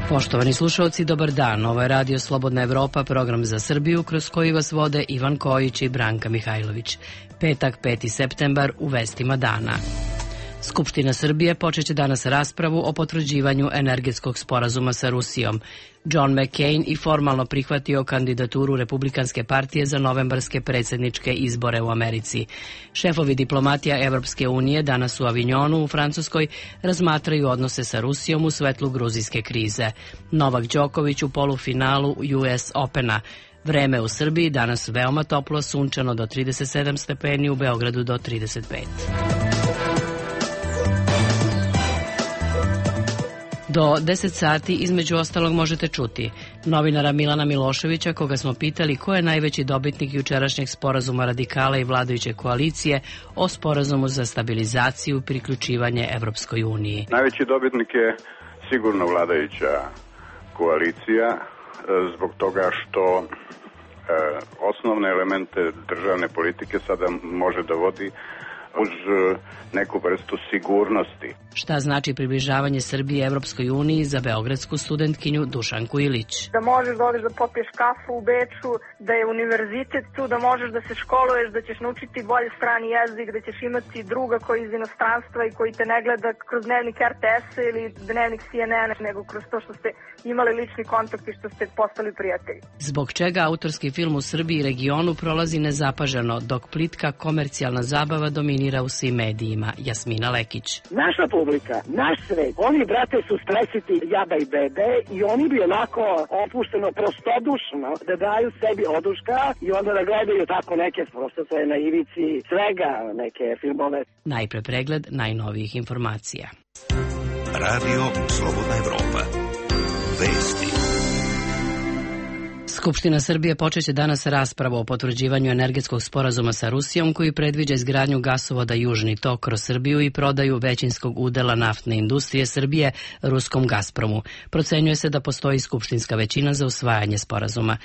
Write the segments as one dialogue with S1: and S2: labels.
S1: Poštovani slušalci, dobar dan. Ovo je Radio Slobodna Evropa, program za Srbiju, kroz koji vas vode Ivan Kojić i Branka Mihajlović. Petak, 5. septembar, u vestima dana. Skupština Srbije počeće danas raspravu o potvrđivanju energetskog sporazuma sa Rusijom. John McCain i formalno prihvatio kandidaturu Republikanske partije za novembarske predsjedničke izbore u Americi. Šefovi diplomatija Evropske unije danas u Avignonu u Francuskoj razmatraju odnose sa Rusijom u svetlu gruzijske krize. Novak Đoković u polufinalu US Opena. Vreme u Srbiji danas veoma toplo, sunčano do 37 stepeni, u Beogradu do 35. Do 10 sati između ostalog možete čuti novinara Milana Miloševića, koga smo pitali ko je najveći dobitnik jučerašnjeg sporazuma radikala i vladajuće koalicije o sporazumu za stabilizaciju i priključivanje Evropskoj uniji.
S2: Najveći dobitnik je sigurno vladajuća koalicija zbog toga što osnovne elemente državne politike sada može da vodi uz neku vrstu sigurnosti.
S3: Šta znači približavanje Srbije Evropskoj uniji za beogradsku studentkinju Dušanku Ilić?
S4: Da možeš da odeš da popiješ kafu u Beču, da je univerzitet tu, da možeš da se školuješ, da ćeš naučiti bolje strani jezik, da ćeš imati druga koji iz inostranstva i koji te ne gleda kroz dnevnik RTS-a ili dnevnik CNN-a, nego kroz to što ste imali lični kontakt i što ste postali prijatelji.
S3: Zbog čega autorski film u Srbiji i regionu prolazi nezapaženo, dok plitka komercijalna zabava dominira u svim medijima? Jasmina Lekić.
S5: Naša publika, naš svet, oni, brate, su stresiti jaba i bebe i oni bi onako opušteno, prostodušno da daju sebi oduška i onda da gledaju tako neke, prosto to je na ivici svega, neke filmove.
S3: Najpre pregled najnovijih informacija.
S6: Radio Slobodna Evropa. Vesti.
S3: Skupština Srbije počeće danas raspravu o potvrđivanju energetskog sporazuma sa Rusijom koji predviđa izgradnju gasovoda Južni tok kroz Srbiju i prodaju većinskog udela naftne industrije Srbije ruskom Gazpromu. Procenjuje se da postoji skupštinska većina za usvajanje sporazuma.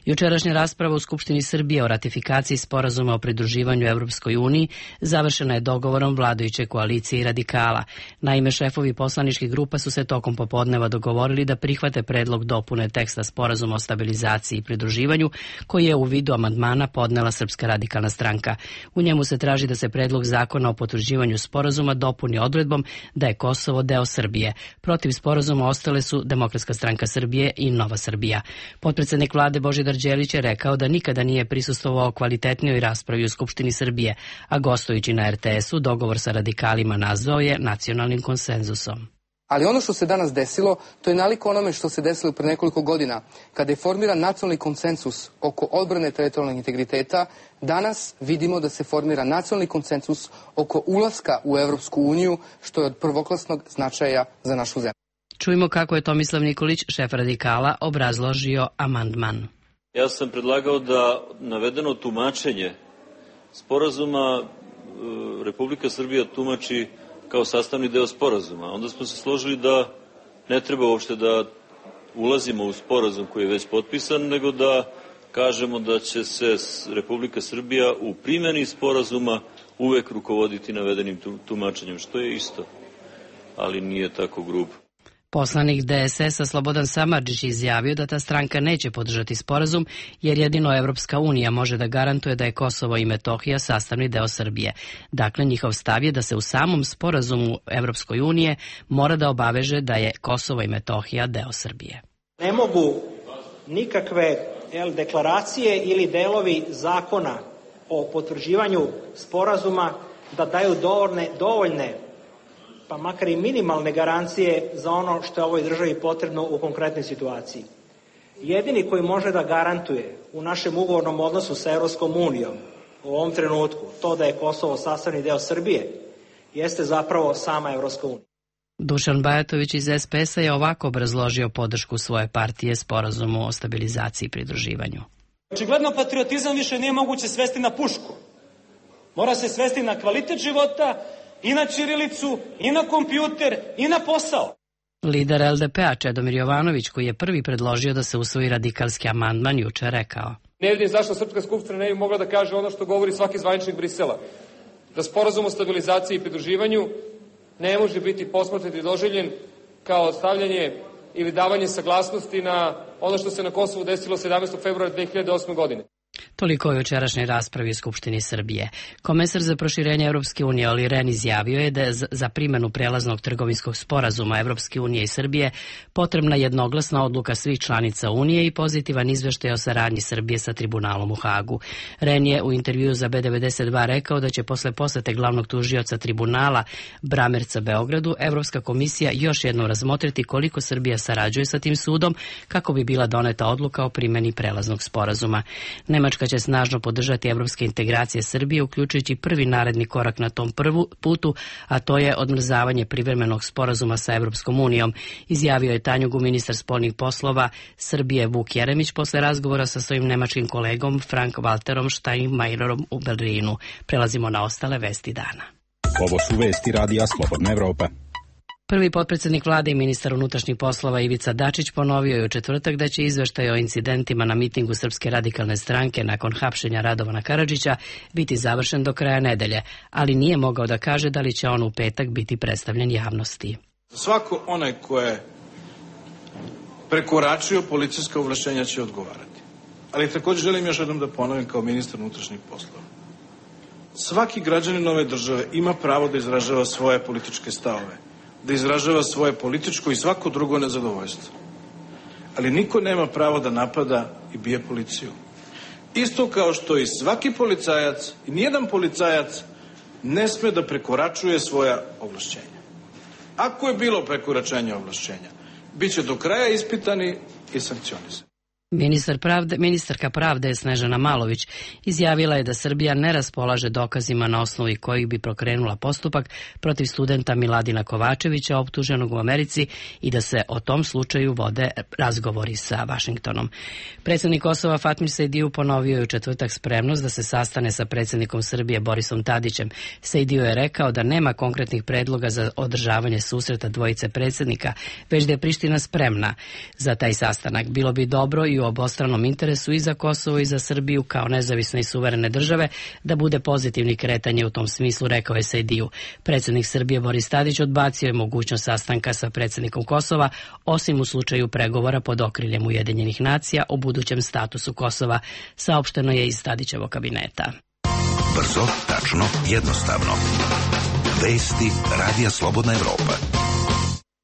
S3: Jučerašnja rasprava u Skupštini Srbije o ratifikaciji sporazuma o pridruživanju Evropskoj uniji završena je dogovorom vladajuće koalicije i radikala. Naime, šefovi poslaničkih grupa su se tokom popodneva dogovorili da prihvate predlog dopune teksta sporazuma o stabilizaciji i pridruživanju koji je u vidu amandmana podnela Srpska radikalna stranka. U njemu se traži da se predlog zakona o potvrđivanju sporazuma dopuni odredbom da je Kosovo deo Srbije. Protiv sporazuma ostale su Demokratska stranka Srbije i Nova Srbija. Potpredsednik vlade Božidar Đelić je rekao da nikada nije prisustvovao kvalitetnijoj raspravi u Skupštini Srbije, a gostujući na RTS-u dogovor sa radikalima nazvao je nacionalnim konsenzusom.
S7: Ali ono što se danas desilo, to je nalik onome što se desilo pre nekoliko godina, kada je formiran nacionalni konsensus oko odbrane teritorijalnog integriteta. Danas vidimo da se formira nacionalni konsensus oko ulaska u Evropsku uniju, što je od prvoklasnog značaja za našu zemlju.
S3: Čujmo kako je Tomislav Nikolić, šef radikala, obrazložio amandman.
S8: Ja sam predlagao da navedeno tumačenje sporazuma Republika Srbija tumači kao sastavni deo sporazuma. Onda smo se složili da ne treba uopšte da ulazimo u sporazum koji je već potpisan, nego da kažemo da će se Republika Srbija u primjeni sporazuma uvek rukovoditi navedenim tumačenjem, što je isto, ali nije tako grubo.
S3: Poslanik DSS-a Slobodan Samardžić izjavio da ta stranka neće podržati sporazum jer jedino Evropska unija može da garantuje da je Kosovo i Metohija sastavni deo Srbije. Dakle, njihov stav je da se u samom sporazumu Evropskoj unije mora da obaveže da je Kosovo i Metohija deo Srbije.
S9: Ne mogu nikakve deklaracije ili delovi zakona o potvrđivanju sporazuma da daju dovoljne pa makar i minimalne garancije za ono što je ovoj državi potrebno u konkretnoj situaciji. Jedini koji može da garantuje u našem ugovornom odnosu sa Evropskom unijom u ovom trenutku to da je Kosovo sastavni deo Srbije jeste zapravo sama Evropska unija.
S3: Dušan Bajatović iz SPS-a je ovako obrazložio podršku svoje partije sporazumu o stabilizaciji i pridruživanju.
S10: Očigledno patriotizam više nije moguće svesti na pušku. Mora se svesti na kvalitet života, i na ćirilicu, i na kompjuter, i na posao.
S3: Lider LDP-a Čedomir Jovanović, koji je prvi predložio da se usvoji radikalski amandman, juče rekao:
S11: Ne vidim zašto Srpska skupština ne bi mogla da kaže ono što govori svaki zvaničnik Brisela. Da sporazum o stabilizaciji i pridruživanju ne može biti posmatran i doživljen kao stavljanje ili davanje saglasnosti na ono što se na Kosovu desilo 17. februara 2008. godine.
S3: Toliko je u jučerašnjoj raspravi u Skupštini Srbije. Komesar za proširenje Evropske unije Olli Rehn izjavio je da je za primjenu prelaznog trgovinskog sporazuma Evropske unije i Srbije potrebna jednoglasna odluka svih članica Unije i pozitivan izveštaj o saradnji Srbije sa tribunalom u Hagu. Rehn je u intervjuu za B92 rekao da će posle posete glavnog tužioca tribunala Bramerca Beogradu Evropska komisija još jednom razmotriti koliko Srbija sarađuje sa tim sudom kako bi bila doneta odluka o primjeni prelaznog sporazuma. Nemačka će snažno podržati evropske integracije Srbije, uključujući prvi naredni korak na tom putu, a to je odmrzavanje privremenog sporazuma sa Evropskom unijom, izjavio je Tanjugu ministar spoljnih poslova Srbije Vuk Jeremić posle razgovora sa svojim nemačkim kolegom Frank-Walterom Steinmeierom u Berlinu. Prelazimo na ostale vesti dana.
S12: Ovo su vesti Radija Slobodna Evropa.
S3: Prvi potpredsjednik vlade i ministar unutrašnjih poslova Ivica Dačić ponovio je u četvrtak da će izveštaj o incidentima na mitingu Srpske radikalne stranke nakon hapšenja Radovana Karadžića biti završen do kraja nedelje, ali nije mogao da kaže da li će on u petak biti predstavljen javnosti.
S13: Svako onaj ko je prekoračio policijska ovlašćenja će odgovarati. Ali također želim još jednom da ponovim kao ministar unutrašnjih poslova. Svaki građanin ove države ima pravo da izražava svoje političke stavove, da izražava svoje političko i svako drugo nezadovoljstvo. Ali niko nema pravo da napada i bije policiju. Isto kao što i svaki policajac i nijedan policajac ne sme da prekoračuje svoja ovlašćenja. Ako je bilo prekoračenja ovlašćenja, bit će do kraja ispitani i sankcionisani.
S3: Ministarka pravde Snežana Malović izjavila je da Srbija ne raspolaže dokazima na osnovi kojih bi pokrenula postupak protiv studenta Miladina Kovačevića optuženog u Americi i da se o tom slučaju vode razgovori sa Vašingtonom. Predsjednik Kosova Fatmir Sejdiju ponovio je u četvrtak spremnost da se sastane sa predsjednikom Srbije Borisom Tadićem. Sejdiju je rekao da nema konkretnih predloga za održavanje susreta dvojice predsjednika, već da je Priština spremna za taj sastanak. Bilo bi dobro i u obostranom interesu i za Kosovo i za Srbiju kao nezavisne i suverene države da bude pozitivni kretanje u tom smislu, rekao je Sejdiju. Predsjednik Srbije Boris Tadić odbacio je mogućnost sastanka sa predsjednikom Kosova, osim u slučaju pregovora pod okriljem Ujedinjenih nacija o budućem statusu Kosova, saopšteno je iz Tadićevog kabineta.
S6: Brzo, tačno, jednostavno. Vesti Radija Slobodna Evropa.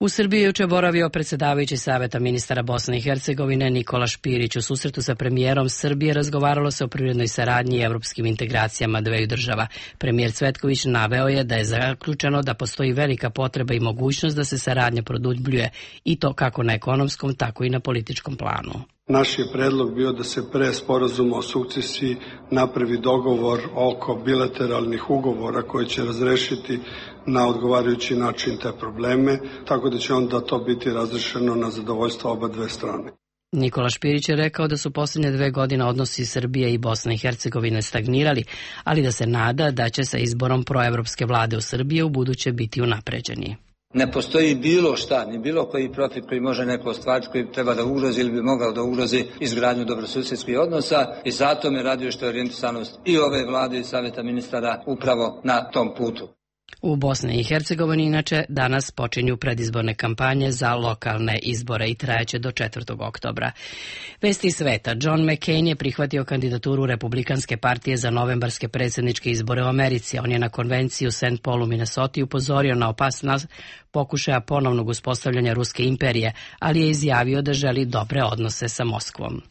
S3: U Srbiji juče boravio predsjedavajući Saveta ministara Bosne i Hercegovine Nikola Špirić. U susretu sa premijerom Srbije razgovaralo se o privrednoj saradnji i evropskim integracijama dveju država. Premijer Cvetković naveo je da je zaključeno da postoji velika potreba i mogućnost da se saradnja produbljuje i to kako na ekonomskom, tako i na političkom planu.
S14: Naš je predlog bio da se pre sporazuma o sukcesiji napravi dogovor oko bilateralnih ugovora koji će razrešiti na odgovarajući način te probleme, tako da će onda to biti razrešeno na zadovoljstvo oba dve strane.
S3: Nikola Špirić je rekao da su posljednje 2 godine odnosi Srbije i Bosne i Hercegovine stagnirali, ali da se nada da će sa izborom proevropske vlade u Srbiji u buduće biti unapređeni.
S15: Ne postoji bilo šta, ni bilo koji profit koji može neko ostvariti, koji treba da ugrozi ili bi mogao da ugrozi izgradnju dobrosusjedskih odnosa i zato me raduje što je orijentisanost i ove vlade i Saveta ministara upravo na tom putu.
S3: U Bosni i Hercegovini inače danas počinju predizborne kampanje za lokalne izbore i trajaće do 4. oktobra. Vesti sveta. John McCain je prihvatio kandidaturu Republikanske partije za novembarske predsjedničke izbore u Americi. On je na konvenciji u St. Paulu, Minnesota upozorio na opasnost pokušaja ponovnog uspostavljanja Ruske imperije, ali je izjavio da želi dobre odnose sa Moskvom.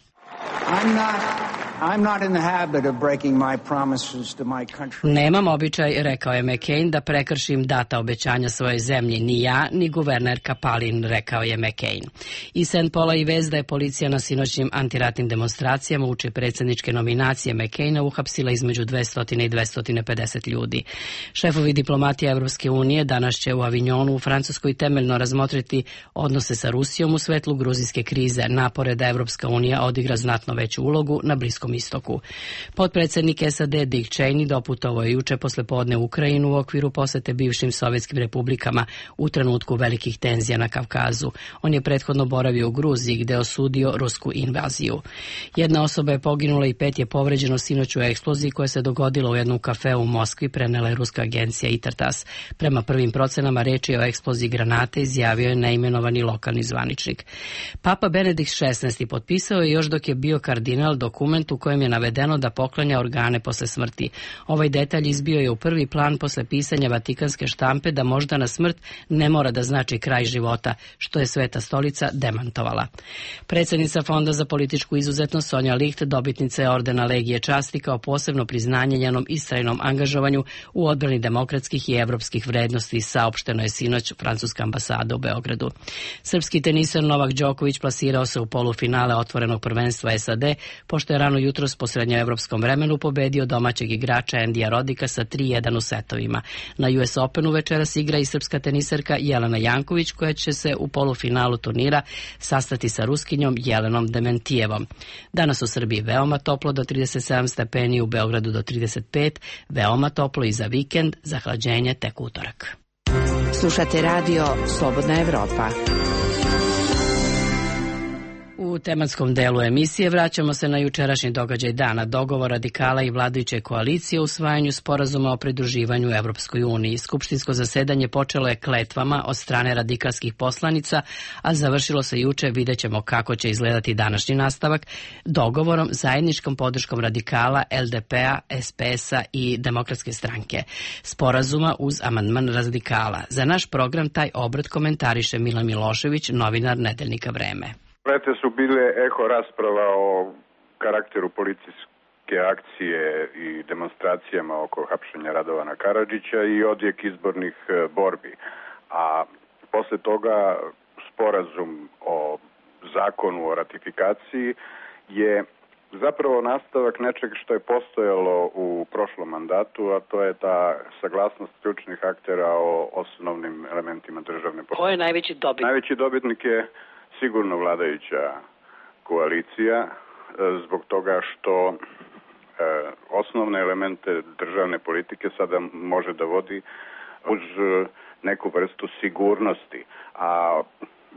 S3: Nemam običaj, rekao je McCain, da prekršim data obećanja svoje zemlji, ni ja, ni guvernerka Palin, rekao je McCain. Iz St. Paula i vest da je policija na sinoćnim antiratnim demonstracijama uče predsjedničke nominacije McCaina uhapsila između 200 i 250 ljudi. Šefovi diplomatije Evropske unije danas će u Avignonu u Francuskoj temeljno razmotriti odnose sa Rusijom u svetlu gruzijske krize, napore da Evropska unija odigra znatno veću ulogu na Bliskom
S1: Bliskom istoku. Potpredsednik SAD Dick Cheney doputovao je juče posle podne u Ukrajinu u okviru posete bivšim sovjetskim republikama u trenutku velikih tenzija na Kavkazu. On je prethodno boravio u Gruziji gde je osudio rusku invaziju. Jedna osoba je poginula i 5 je povređeno sinoć u eksploziji koja se dogodila u jednom kafeu u Moskvi, prenela je ruska agencija Intertas. Prema prvim procenama reči o eksploziji granate izjavio je neimenovani lokalni zvaničnik. Papa Benedikt XVI potpisao je još dok je bio kardinal dokument u kojem je navedeno da poklanja organe posle smrti. Ovaj detalj izbio je u prvi plan posle pisanja Vatikanske štampe da moždana smrt ne mora da znači kraj života, što je Sveta stolica demantovala. Predsjednica Fonda za političku izuzetnost Sonja Licht dobitnica je ordena Legije časti kao posebno priznanje njenom istrajnom angažovanju u odbrani demokratskih i evropskih vrednosti, saopšteno je sinoć francuska ambasada u Beogradu. Srpski teniser Novak Đoković plasirao se u polufinale otvorenog prvenstva SAD, pošto je rano jutros po srednjoevropskom vremenu pobedio domaćeg igrača Endija Rodika sa 3-1 u setovima. Na US Openu večeras igra i srpska teniserka Jelena Janković, koja će se u polufinalu turnira sastati sa Ruskinjom Jelenom Dementijevom. Danas u Srbiji veoma toplo do 37 stepeni, u Beogradu do 35, veoma toplo i za vikend, zahlađenje tek utorak.
S16: Slušate radio Slobodna Evropa.
S1: U tematskom delu emisije vraćamo se na jučerašnji događaj dana, dogovor radikala i vladajuće koalicije o usvajanju sporazuma o pridruživanju Evropskoj uniji. Skupštinsko zasedanje počelo je kletvama od strane radikalskih poslanica, a završilo se juče, vidjet ćemo kako će izgledati današnji nastavak, dogovorom zajedničkom podrškom radikala, LDP-a, SPS-a i Demokratske stranke. Sporazuma uz amandman radikala. Za naš program taj obrat komentariše Milan Milošević, novinar Nedeljnika Vreme.
S2: Prete su bile eho rasprava o karakteru policijske akcije i demonstracijama oko hapšenja Radovana Karadžića i odjek izbornih borbi. A posle toga sporazum o zakonu o ratifikaciji je zapravo nastavak nečeg što je postojalo u prošlom mandatu, a to je ta saglasnost ključnih aktera o osnovnim elementima državne politike.
S1: Ko je najveći dobitnik?
S2: Najveći dobitnik je sigurno vladajuća koalicija, zbog toga što osnovne elemente državne politike sada može da vodi uz neku vrstu sigurnosti, a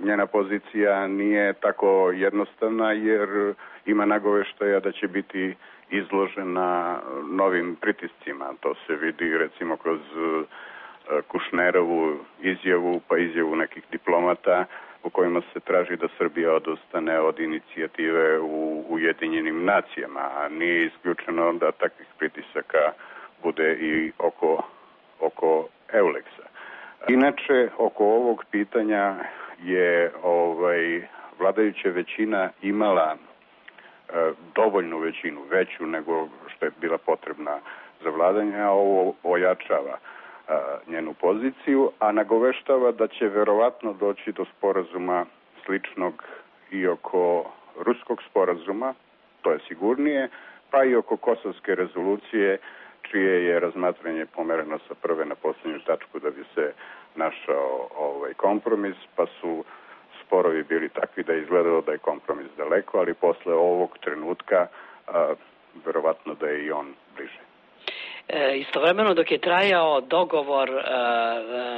S2: njena pozicija nije tako jednostavna jer ima nagoveštaja da će biti izložena novim pritiscima. To se vidi recimo kroz Kušnerovu izjavu, pa izjavu nekih diplomata u kojima se traži da Srbija odustane od inicijative u Ujedinjenim nacijama, a nije isključeno da takvih pritisaka bude i oko Euleksa. Inače, oko ovog pitanja je vladajuća većina imala dovoljnu većinu, veću nego što je bila potrebna za vladanje, a ovo ojačava njenu poziciju, a nagoveštava da će verovatno doći do sporazuma sličnog i oko ruskog sporazuma, to je sigurnije, pa i oko kosovske rezolucije, čije je razmatranje pomereno sa prve na posljednju tačku da bi se našao kompromis, pa su sporovi bili takvi da je izgledalo da je kompromis daleko, ali posle ovog trenutka verovatno da je i on bliže.
S1: Istovremeno dok je trajao dogovor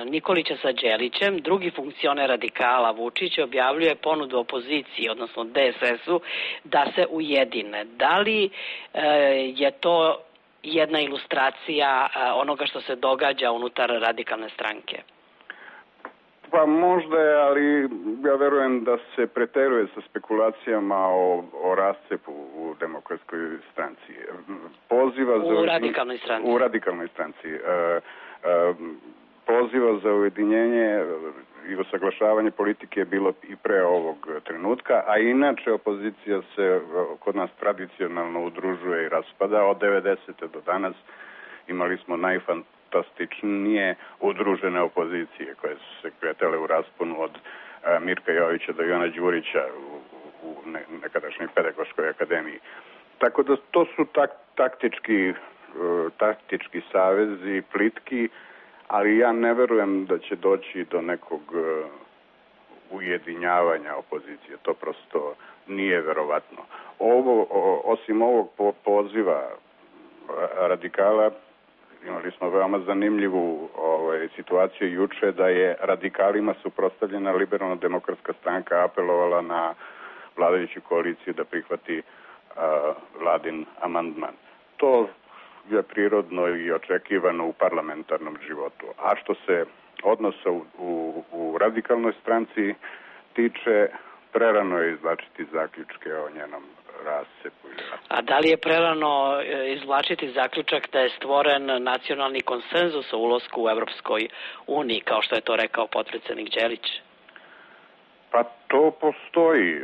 S1: Nikolića sa Đelićem, drugi funkcioner radikala Vučić objavljuje ponudu opoziciji, odnosno DSS-u, da se ujedine. Da li je to jedna ilustracija onoga što se događa unutar radikalne stranke?
S2: Pa možda je, ali ja verujem da se preteruje sa spekulacijama o rascepu u Demokratskoj stranci. U radikalnoj stranci. Poziva za ujedinjenje i usaglašavanje politike je bilo i pre ovog trenutka, a inače opozicija se kod nas tradicionalno udružuje i raspada. Od 90. do danas imali smo najfantastičnije udružene opozicije koje su se kretale u rasponu od Mirka Jovića do Ivana Đurića u nekadašnjoj pedagoškoj akademiji. Tako da to su taktički savezi, plitki, ali ja ne verujem da će doći do nekog ujedinjavanja opozicije. To prosto nije verovatno. Osim ovog poziva radikala, imali smo veoma zanimljivu situaciju juče da je radikalima suprotstavljena Liberalno-demokratska stranka apelovala na vladajuću koaliciju da prihvati vladin amandman. To je prirodno i očekivano u parlamentarnom životu. A što se odnosa u radikalnoj stranci tiče, prerano je izvlačiti zaključke o njenom rasepu.
S3: A da li je prerano izvlačiti zaključak da je stvoren nacionalni konsenzus o ulasku u Evropskoj uniji, kao što je to rekao potpredsednik Đelić?
S2: Pa to postoji.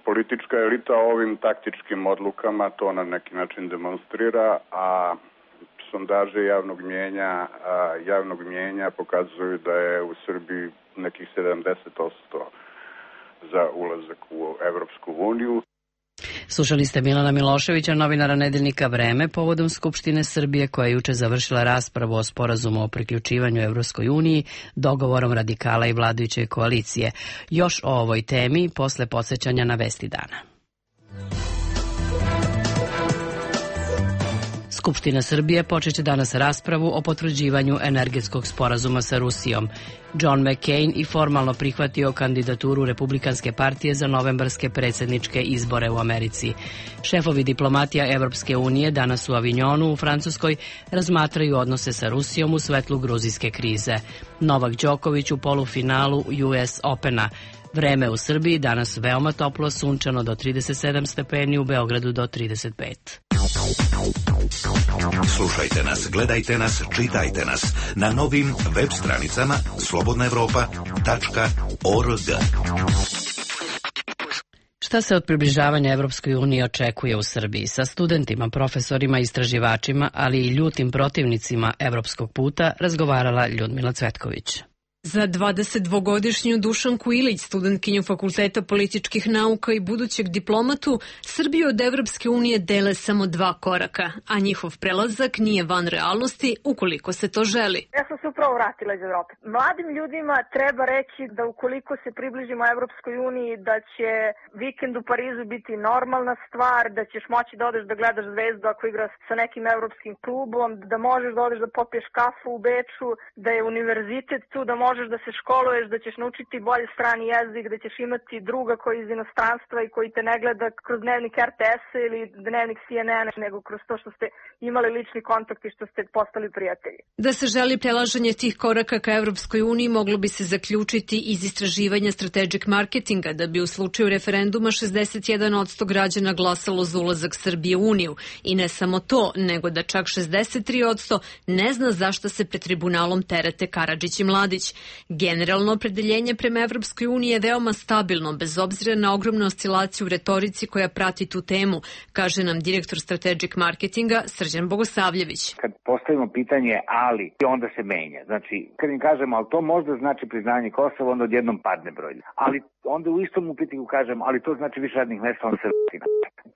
S2: Politička elita ovim taktičkim odlukama to na neki način demonstrira, a sondaže javnog mjenja pokazuju da je u Srbiji nekih 70% za ulazak u Evropsku uniju.
S1: Slušali ste Milana Miloševića, novinara nedeljnika Vreme, povodom Skupštine Srbije koja je juče završila raspravu o sporazumu o priključivanju Evropskoj uniji dogovorom radikala i vladajuće koalicije. Još o ovoj temi posle podsećanja na vesti dana. Skupština Srbije počeće danas raspravu o potvrđivanju energetskog sporazuma sa Rusijom. John McCain i formalno prihvatio kandidaturu Republikanske partije za novembarske predsjedničke izbore u Americi. Šefovi diplomatija Evropske unije danas u Avignonu u Francuskoj razmatraju odnose sa Rusijom u svetlu gruzijske krize. Novak Đoković u polufinalu US Opena. Vreme u Srbiji danas veoma toplo, sunčano do 37 stepeni, u Beogradu do 35.
S6: Slušajte nas, gledajte nas, čitajte nas na novim web stranicama slobodnaevropa.org.
S1: Šta se od približavanja Evropskoj uniji očekuje u Srbiji? Sa studentima, profesorima, istraživačima, ali i ljutim protivnicima evropskog puta razgovarala Ljudmila Cvetković.
S17: Za 22-godišnju Dušanku Ilić, studentkinju Fakulteta političkih nauka i budućeg diplomatu, Srbiju od Evropske unije dele samo 2 koraka, a njihov prelazak nije van realnosti ukoliko se to želi.
S4: Ja sam se upravo vratila iz Evrope. Mladim ljudima treba reći da ukoliko se približimo Evropskoj uniji, da će vikend u Parizu biti normalna stvar, da ćeš moći da odeš da gledaš Zvezdu ako igra sa nekim evropskim klubom, da možeš da odeš da popiješ kafu u Beču, da je univerzitet tu, da možeš da se školuješ, da ćeš naučiti bolje strani jezik, da ćeš imati druga koji iz inostranstva i koji te ne gleda kroz dnevnik RTS-a ili dnevnik CNN-a, nego kroz to što ste imali lični kontakt i što ste postali prijatelji.
S17: Da se želi prelaženje tih koraka ka Evropskoj uniji moglo bi se zaključiti iz istraživanja Strategic Marketinga da bi u slučaju referenduma 61% građana glasalo za ulazak Srbije u Uniju. I ne samo to, nego da čak 63% ne zna zašto se pred tribunalom terete Karadžić i Mladić. Generalno opredeljenje prema Evropskoj uniji je veoma stabilno, bez obzira na ogromnu oscilaciju u retorici koja prati tu temu, kaže nam direktor Strategic Marketinga Srđan Bogosavljević.
S18: Kad postavimo pitanje ali, onda se menja. Znači, kad im kažemo, ali to možda znači priznanje Kosova, onda odjednom padne broj. Ali onda u istom upitniku kažem, ali to znači više radnih mesta, on se vrtina.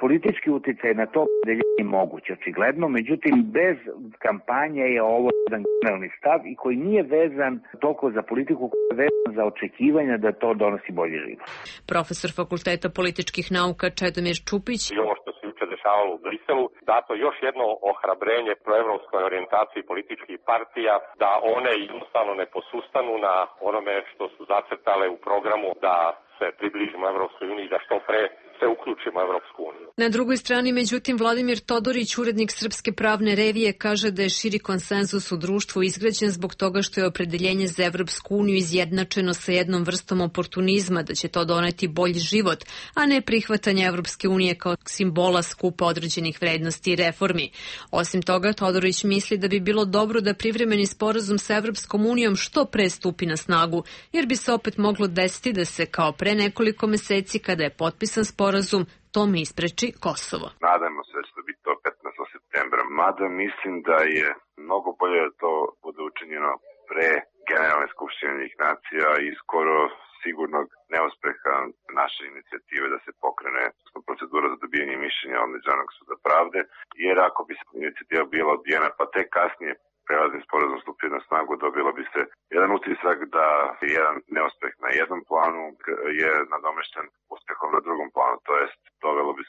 S18: Politički uticaj na to opredeljenje je moguće, očigledno, međutim, bez kampanje je ovo jedan generalni stav i koji nije vezan toliko za politiku, koji je vezan za očekivanja da to donosi bolji život.
S17: Profesor Fakulteta političkih nauka Čedomir Čupić.
S19: I ovo što se juče dešavalo u Briselu, dato još jedno ohrabrenje proevropskoj orijentaciji političkih partija, da one jednostavno ne posustanu na onome što su zacrtale u programu da se približimo Evropskoj uniji, da što pre se uključimo u Evropsku uniju.
S17: Na drugoj strani, međutim, Vladimir Todorić, urednik Srpske pravne revije, kaže da je širi konsenzus u društvu izgrađen zbog toga što je opredeljenje za Evropsku uniju izjednačeno sa jednom vrstom oportunizma, da će to doneti bolji život, a ne prihvatanje Evropske unije kao simbola skupa određenih vrednosti i reformi. Osim toga, Todorić misli da bi bilo dobro da privremeni sporazum sa Evropskom unijom što pre stupi na snagu, jer bi se opet moglo desiti da se kao pre nekoliko meseci kada je potpisan sporazum tome ispreči Kosovo.
S20: Nadajmo se da će to biti to 15. septembra, mada mislim da je mnogo bolje da to bude učinjeno pre Generalne skupštine Ujedinjenih nacija i skoro sigurnog neuspeha naše inicijative da se pokrene procedura za dobijanje mišljenja od Međunarodnog suda pravde, jer ako bi se inicijativa bila odbijena pa tek kasnije prelazni sporazum stupio na snagu, dobilo bi se jedan utisak da jedan neuspeh na jednom planu je nadomešten uspehom na drugom planu, to jest dovelo bi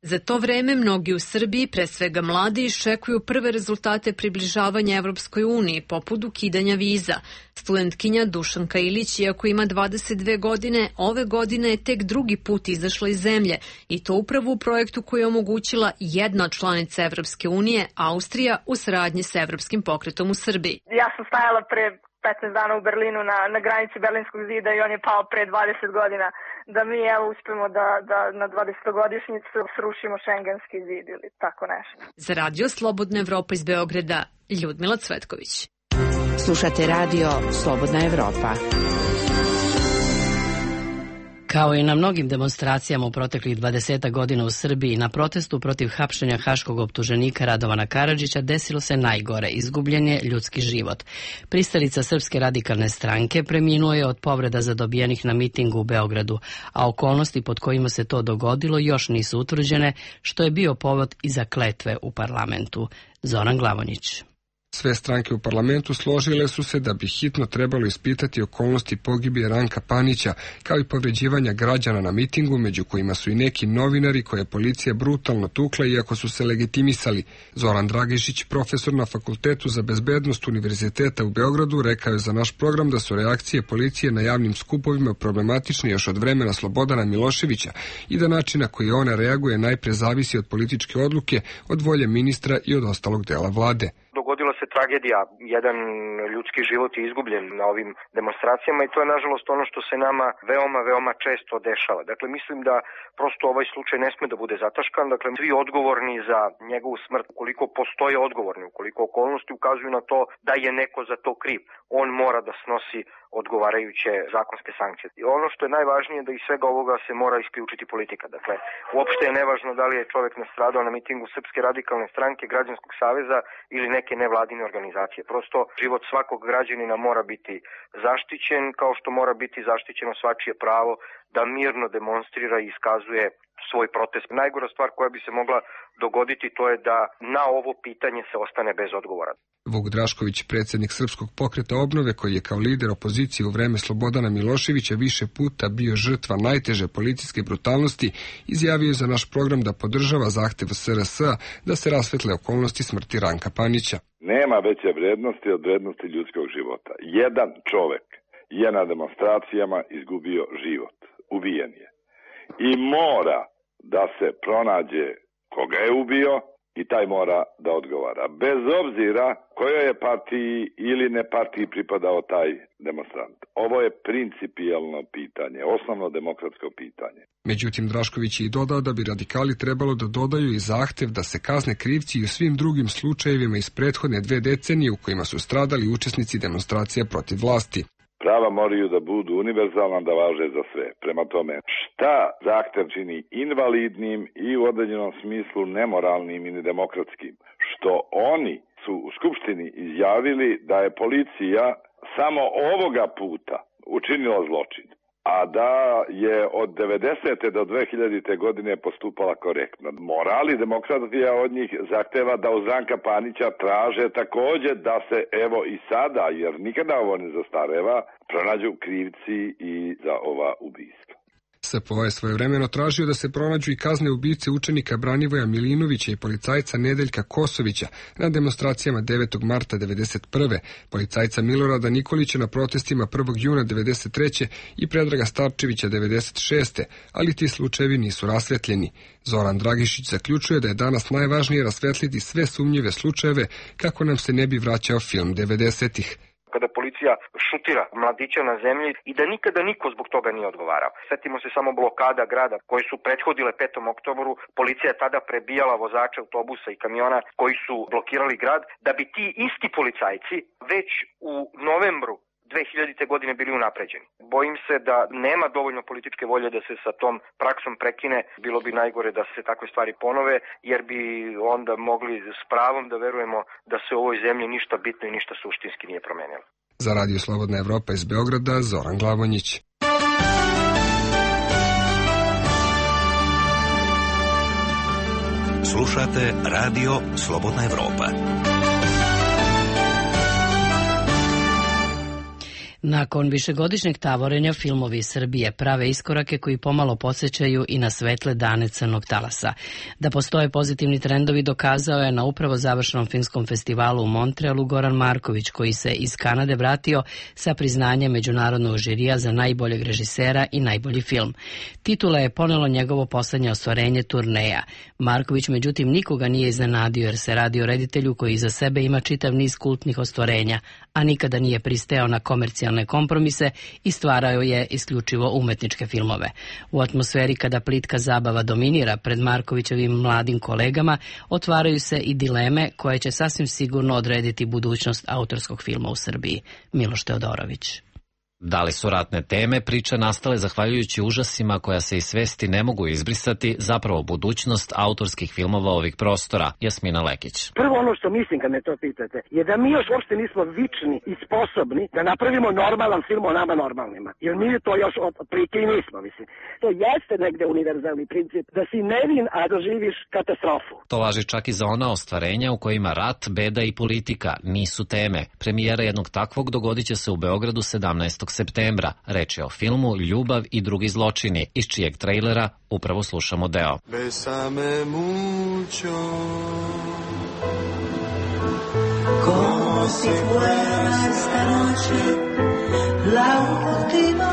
S17: Za to vreme mnogi u Srbiji, pre svega mladi, iščekuju prve rezultate približavanja Evropskoj uniji, poput ukidanja viza. Studentkinja Dušanka Ilić, iako ima 22 godine, ove godine je tek drugi put izašla iz zemlje i to upravo u projektu koji je omogućila jedna od članica Evropske unije, Austrija, u saradnji sa Evropskim pokretom u Srbiji.
S4: Ja sam stajala pre 15 dana u Berlinu na granici Berlinskog zida i on je pao pre 20 godina. Da mi evo uspemo da na 20-godišnjicu srušimo šengenski zid ili tako nešto.
S17: Za Radio Slobodna Evropa iz Beograda, Ljudmila Cvetković.
S16: Slušate Radio Slobodna Evropa.
S3: Kao i na mnogim demonstracijama u proteklih 20 godina u Srbiji, na protestu protiv hapšenja haškog optuženika Radovana Karadžića desilo se najgore, izgubljen je ljudski život. Pristalica Srpske radikalne stranke preminuo je od povreda zadobijenih na mitingu u Beogradu, a okolnosti pod kojima se to dogodilo još nisu utvrđene, što je bio povod i za kletve u parlamentu. Zoran Glavonjić.
S21: Sve stranke u parlamentu složile su se da bi hitno trebalo ispitati okolnosti pogibije Ranka Panića, kao i povređivanja građana na mitingu, među kojima su i neki novinari koje je policija brutalno tukla iako su se legitimisali. Zoran Dragišić, profesor na Fakultetu za bezbednost Univerziteta u Beogradu, rekao je za naš program da su reakcije policije na javnim skupovima problematične još od vremena Slobodana Miloševića i da način na koji ona reaguje najpre zavisi od političke odluke, od volje ministra i od ostalog dela vlade.
S22: Dogodila se tragedija, jedan ljudski život je izgubljen na ovim demonstracijama i to je nažalost ono što se nama veoma često dešava. Dakle, mislim da prosto ovaj slučaj ne sme da bude zataškan, dakle, svi odgovorni za njegovu smrt, ukoliko postoje odgovorni, ukoliko okolnosti ukazuju na to da je neko za to kriv, on mora da snosi odgovarajuće zakonske sankcije. I ono što je najvažnije da iz svega ovoga se mora isključiti politika. Dakle, uopšte je nevažno da li je čovjek nastradao na mitingu Srpske radikalne stranke, Građanskog saveza ili neke nevladine organizacije. Prosto život svakog građanina mora biti zaštićen, kao što mora biti zaštićeno svačije pravo da mirno demonstrira i iskazuje svoj protest. Najgora stvar koja bi se mogla dogoditi to je da na ovo pitanje se ostane bez odgovora.
S21: Vuk Drašković, predsjednik Srpskog pokreta obnove, koji je kao lider opozicije u vreme Slobodana Miloševića više puta bio žrtva najteže policijske brutalnosti, izjavio je za naš program da podržava zahtev SRS da se rasvetle okolnosti smrti Ranka Panića.
S23: Nema veće vrednosti od vrednosti ljudskog života. Jedan čovek je na demonstracijama izgubio život. Ubijen je. I mora da se pronađe koga je ubio i taj mora da odgovara. Bez obzira kojoj je partiji ili ne partiji pripadao taj demonstrant. Ovo je principijelno pitanje, osnovno demokratsko pitanje.
S21: Međutim, Drašković je i dodao da bi radikali trebalo da dodaju i zahtev da se kazne krivci i u svim drugim slučajevima iz prethodne 2 decenije u kojima su stradali učesnici demonstracija protiv vlasti.
S23: Prava moraju da budu univerzalna, da važe za sve. Prema tome, šta zahtev čini invalidnim i u određenom smislu nemoralnim i nedemokratskim? Što oni su u Skupštini izjavili da je policija samo ovoga puta učinila zločin, a da je od 90. do 2000. godine postupala korektno. Moral i demokratija od njih zahteva da uz Ranka Panića traže također da se evo i sada, jer nikada ovo ne zastareva, pronađu krivci i za ova ubistva.
S21: SPO je svojevremeno tražio da se pronađu i kazne ubice učenika Branivoja Milinovića i policajca Nedeljka Kosovića na demonstracijama 9. marta 1991. policajca Milorada Nikolića na protestima 1. juna 1993. i Predraga Starčevića 1996. ali ti slučajevi nisu rasvetljeni. Zoran Dragišić zaključuje da je danas najvažnije rasvetliti sve sumnjive slučajeve kako nam se ne bi vraćao film 90-ih.
S22: Kada policija šutira mladića na zemlji i da nikada niko zbog toga nije odgovarao. Sjetimo se samo blokada grada koje su prethodile 5. oktobru. Policija je tada prebijala vozače autobusa i kamiona koji su blokirali grad, da bi ti isti policajci već u novembru 2000. godine bili unapređeni. Bojim se da nema dovoljno političke volje da se sa tom praksom prekine. Bilo bi najgore da se takve stvari ponove, jer bi onda mogli s pravom da verujemo da se u ovoj zemlji ništa bitno i ništa suštinski nije promenilo.
S21: Za Radio Slobodna Evropa iz Beograda, Zoran Glavonjić.
S6: Slušate Radio Slobodna Evropa.
S1: Nakon višegodišnjeg tavorenja, filmovi iz Srbije prave iskorake koji pomalo podsjećaju i na svetle dane Crnog talasa. Da postoje pozitivni trendovi dokazao je na upravo završenom filmskom festivalu u Montrealu Goran Marković, koji se iz Kanade vratio sa priznanjem međunarodnog žirija za najboljeg režisera i najbolji film. Titula je ponelo njegovo poslednje ostvarenje Turneja. Marković međutim nikoga nije iznenadio jer se radi o reditelju koji iza sebe ima čitav niz kultnih ostvarenja, a nikada nije pristajao na komercijalne kompromise i stvarao je isključivo umetničke filmove. U atmosferi kada plitka zabava dominira pred Markovićevim mladim kolegama, otvaraju se i dileme koje će sasvim sigurno odrediti budućnost autorskog filma u Srbiji. Miloš Teodorović.
S5: Da li su ratne teme, priče nastale zahvaljujući užasima koja se iz svesti ne mogu izbrisati, zapravo budućnost autorskih filmova ovih prostora? Jasmina Lekić.
S7: Prvo ono što mislim kad me to pitate je da mi još uopšte nismo vični i sposobni da napravimo normalan film o nama normalnima. Jer mi to još otprilike i nismo, mislim. To jeste negde univerzalni princip da si nevin, a doživiš katastrofu.
S5: To važi čak i za ona ostvarenja u kojima rat, beda i politika nisu teme. Premijera jednog takvog dogodit će se u Beogradu 17. septembra. Reč je o filmu Ljubav i drugi zločini, iz čijeg trejlera upravo slušamo deo.
S8: Besame mucho como si fuera esta noche la última.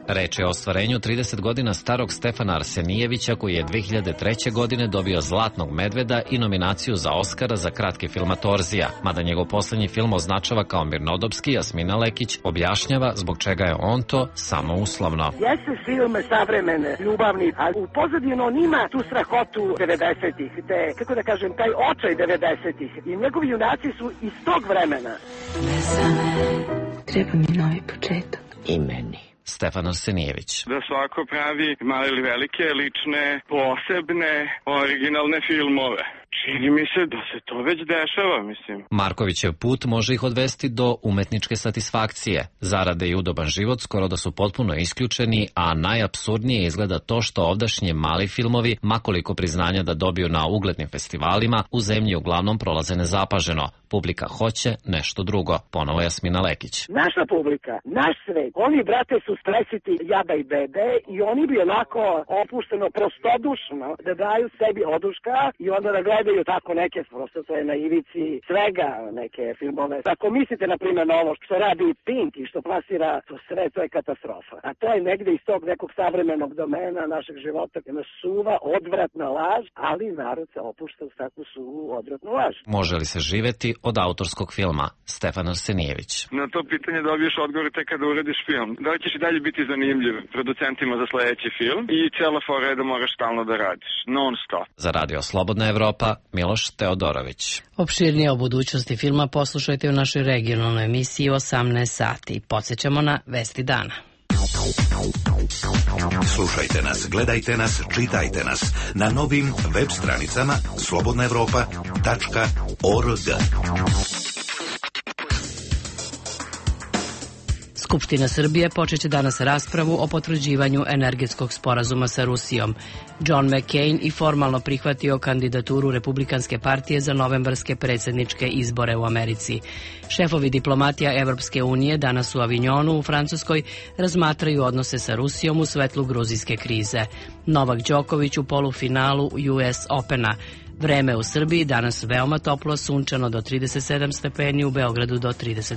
S5: Reč je o ostvarenju 30 godina starog Stefana Arsenijevića, koji je 2003. godine dobio Zlatnog medveda i nominaciju za Oskara za kratki film Torzija. Mada njegov poslednji film označava kao mirnodopski, Jasmina Lekić objašnjava zbog čega je on to samo uslovno.
S7: Jeste film savremene, ljubavni, ali u pozadinu on ima tu strahotu 90-ih, kako da kažem, taj očaj 90-ih. I njegovi junaci su iz tog vremena.
S24: Treba mi novi početak.
S5: I meni. Stefan Arsenijević.
S25: Da svako pravi male ili velike, lične, posebne, originalne filmove. Čini mi se da se to već dešava, mislim.
S5: Markovićev put može ih odvesti do umetničke satisfakcije. Zarade i udoban život skoro da su potpuno isključeni, a najapsurdnije izgleda to što ovdašnje mali filmovi, makoliko priznanja da dobiju na uglednim festivalima, u zemlji uglavnom prolaze nezapaženo. Publika hoće nešto drugo, ponovo Jasmina Lekić.
S7: Naša publika, naš svet, oni brate su stresiti jada i bede i oni bi onako opušteno, prostodušno da daju sebi oduška i onda da gledaju tako neke, prosto to je na ivici svega neke filmove. Ako mislite na primjer na ovo što radi Pink i što plasira to sve, to je katastrofa. A to je negde iz tog nekog savremenog domena našeg života, jedna suva, odvratna laž, ali narod se opušta u takvu suvu, odvratnu laž.
S5: Može li se živeti od autorskog filma? Stefan Arsenijević.
S25: Na to pitanje dobiješ odgovor tek kada uradiš film. Da li ćeš i dalje biti zanimljiv producentima za sledeći film i cijela fora je da moraš stalno da radiš, non stop.
S5: Za Radio Slobodna Evropa, Miloš Teodorović.
S1: Opširnije o budućnosti filma poslušajte u našoj regionalnoj emisiji 18 sati. Podsjećamo na Vesti dana.
S6: Slušajte nas, gledajte nas, čitajte nas na novim web stranicama slobodnaevropa.org.
S1: Skupština Srbije počeće danas raspravu o potvrđivanju energetskog sporazuma sa Rusijom. John McCain i formalno prihvatio kandidaturu Republikanske partije za novembarske predsjedničke izbore u Americi. Šefovi diplomatija Evropske unije danas u Avignonu u Francuskoj razmatraju odnose sa Rusijom u svetlu gruzijske krize. Novak Đoković u polufinalu US Opena. Vreme u Srbiji danas veoma toplo, sunčano do 37 stepeni, u Beogradu do 35.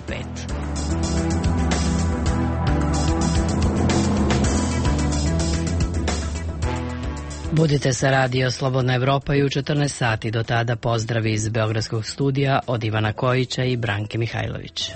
S1: Budite sa Radio Slobodna Evropa i u 14 sati. Do tada pozdravi iz Beogradskog studija od Ivana Kojića i Branke Mihajlović.